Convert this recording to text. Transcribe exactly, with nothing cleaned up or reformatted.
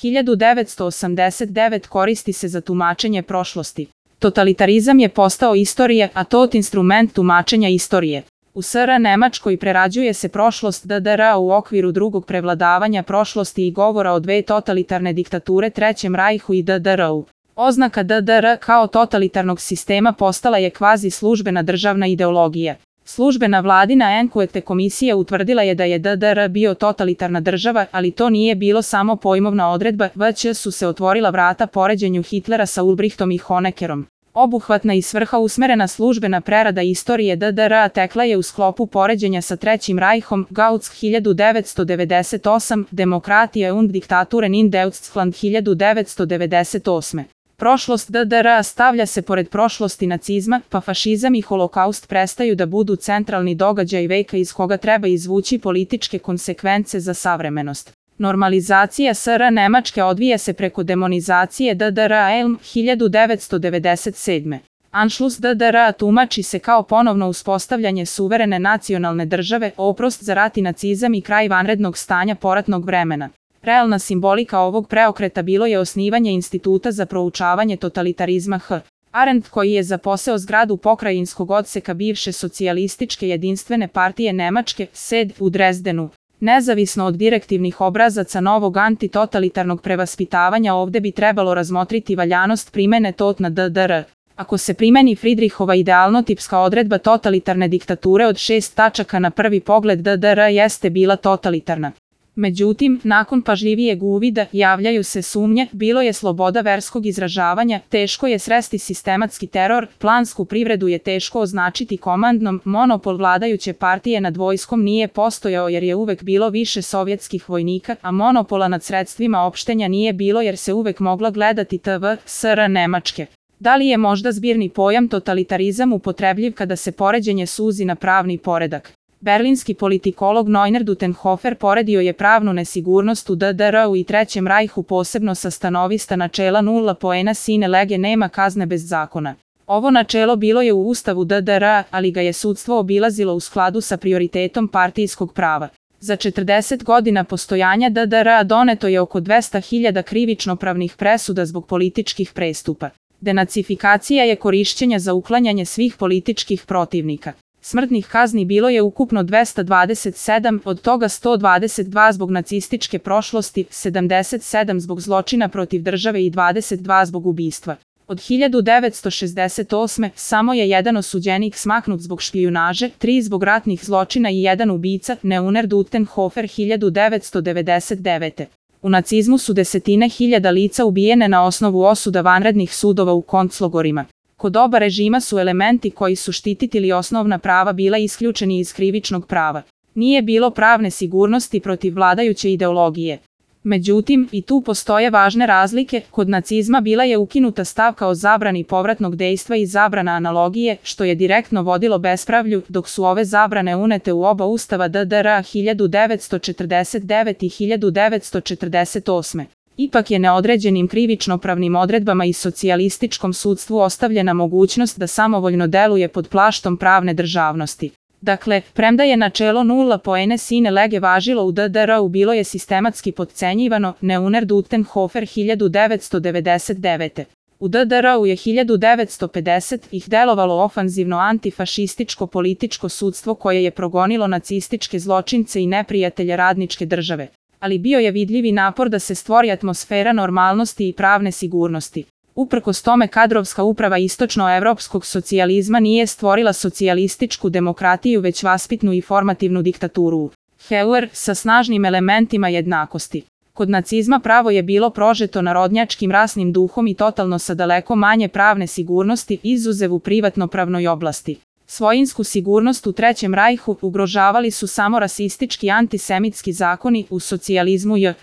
hiljadu devetsto osamdeset devet koristi se za tumačenje prošlosti. Totalitarizam je postao istorija, a tot instrument tumačenja istorije. U S R Nemačkoj prerađuje se prošlost D D R u okviru drugog prevladavanja prošlosti i govora o dve totalitarne diktature Trećem rajhu i D D R-u. Oznaka D D R kao totalitarnog sistema postala je kvazi službena državna ideologija. Službena vladina Enquete komisija utvrdila je da je D D R bio totalitarna država, ali to nije bilo samo pojmovna odredba, već su se otvorila vrata poređenju Hitlera sa Ulbrichtom i Honeckerom. Obuhvatna i svrha usmerena službena prerada istorije D D R-a tekla je u sklopu poređenja sa Trećim rajhom, Gauss hiljadu devetsto devedeset osam, Demokratija und Diktaturen in Deutschland hiljadu devetsto devedeset osme. Prošlost D D R-a stavlja se pored prošlosti nacizma, pa fašizam i holokaust prestaju da budu centralni događaj veka iz koga treba izvući političke konsekvence za savremenost. Normalizacija S R Nemačke odvija se preko demonizacije D D R-a Elm hiljadu devetsto devedeset sedme. Anšlus D D R-a tumači se kao ponovno uspostavljanje suverene nacionalne države, oprost za rat i nacizam i kraj vanrednog stanja poratnog vremena. Realna simbolika ovog preokreta bilo je osnivanje Instituta za proučavanje totalitarizma H. Arendt, koji je zaposeo zgradu pokrajinskog odseka bivše socijalističke jedinstvene partije Nemačke, S E D, u Drezdenu. Nezavisno od direktivnih obrazaca novog antitotalitarnog prevaspitavanja, ovde bi trebalo razmotriti valjanost primene tot na D D R. Ako se primeni Friedrichova idealnotipska odredba totalitarne diktature od šest tačaka, na prvi pogled D D R jeste bila totalitarna. Međutim, nakon pažljivijeg uvida javljaju se sumnje, bilo je sloboda verskog izražavanja, teško je sresti sistematski teror, plansku privredu je teško označiti komandnom, monopol vladajuće partije nad vojskom nije postojao jer je uvek bilo više sovjetskih vojnika, a monopola nad sredstvima opštenja nije bilo jer se uvek mogla gledati T V S R Nemačke. Da li je možda zbirni pojam totalitarizam upotrebljiv kada se poređenje suzi na pravni poredak? Berlinski politikolog Neuner Dutenhofer poredio je pravnu nesigurnost u D D R-u i Trećem rajhu posebno sa stanovista načela nula poena sine lege, nema kazne bez zakona. Ovo načelo bilo je u ustavu D D R-a, ali ga je sudstvo obilazilo u skladu sa prioritetom partijskog prava. Za četrdeset godina postojanja D D R-a doneto je oko dvesta hiljada krivično-pravnih presuda zbog političkih prestupa. Denacifikacija je korišćenja za uklanjanje svih političkih protivnika. Smrtnih kazni bilo je ukupno dvesta dvadeset sedam, od toga sto dvadeset dva zbog nacističke prošlosti, sedamdeset sedam zbog zločina protiv države i dvadeset dva zbog ubistva. Od hiljadu devetsto šezdeset osme samo je jedan osuđenik smaknut zbog špijunaže, tri zbog ratnih zločina i jedan ubica, Neuner Dutenhofer hiljadu devetsto devedeset devete. U nacizmu su desetine hiljada lica ubijene na osnovu osuda vanrednih sudova u konclogorima. Kod oba režima su elementi koji su štitili osnovna prava bila isključeni iz krivičnog prava. Nije bilo pravne sigurnosti protiv vladajuće ideologije. Međutim, i tu postoje važne razlike, kod nacizma bila je ukinuta stavka o zabrani povratnog dejstva i zabrana analogije, što je direktno vodilo bespravlju, dok su ove zabrane unete u oba ustava D D R-a hiljadu devetsto četrdeset devete i hiljadu devetsto četrdeset osme. Ipak je neodređenim krivično-pravnim odredbama i socijalističkom sudstvu ostavljena mogućnost da samovoljno deluje pod plaštom pravne državnosti. Dakle, premda je načelo nula poena sine lege važilo u D D R-u, bilo je sistematski potcenjivano, Neuner Dutenhofer hiljadu devetsto devedeset devete. U D D R-u je hiljadu devetsto pedeset ih delovalo ofanzivno antifašističko političko sudstvo koje je progonilo nacističke zločince i neprijatelje radničke države. Ali bio je vidljivi napor da se stvori atmosfera normalnosti i pravne sigurnosti. Uprkos tome kadrovska uprava istočnoevropskog socijalizma nije stvorila socijalističku demokratiju već vaspitnu i formativnu diktaturu. Heuer sa snažnim elementima jednakosti. Kod nacizma pravo je bilo prožeto narodnjačkim rasnim duhom i totalno sa daleko manje pravne sigurnosti, izuzev u privatno-pravnoj oblasti. Svojinsku sigurnost u Trećem rajhu ugrožavali su samo rasistički antisemitski zakoni, u socijalizmu J.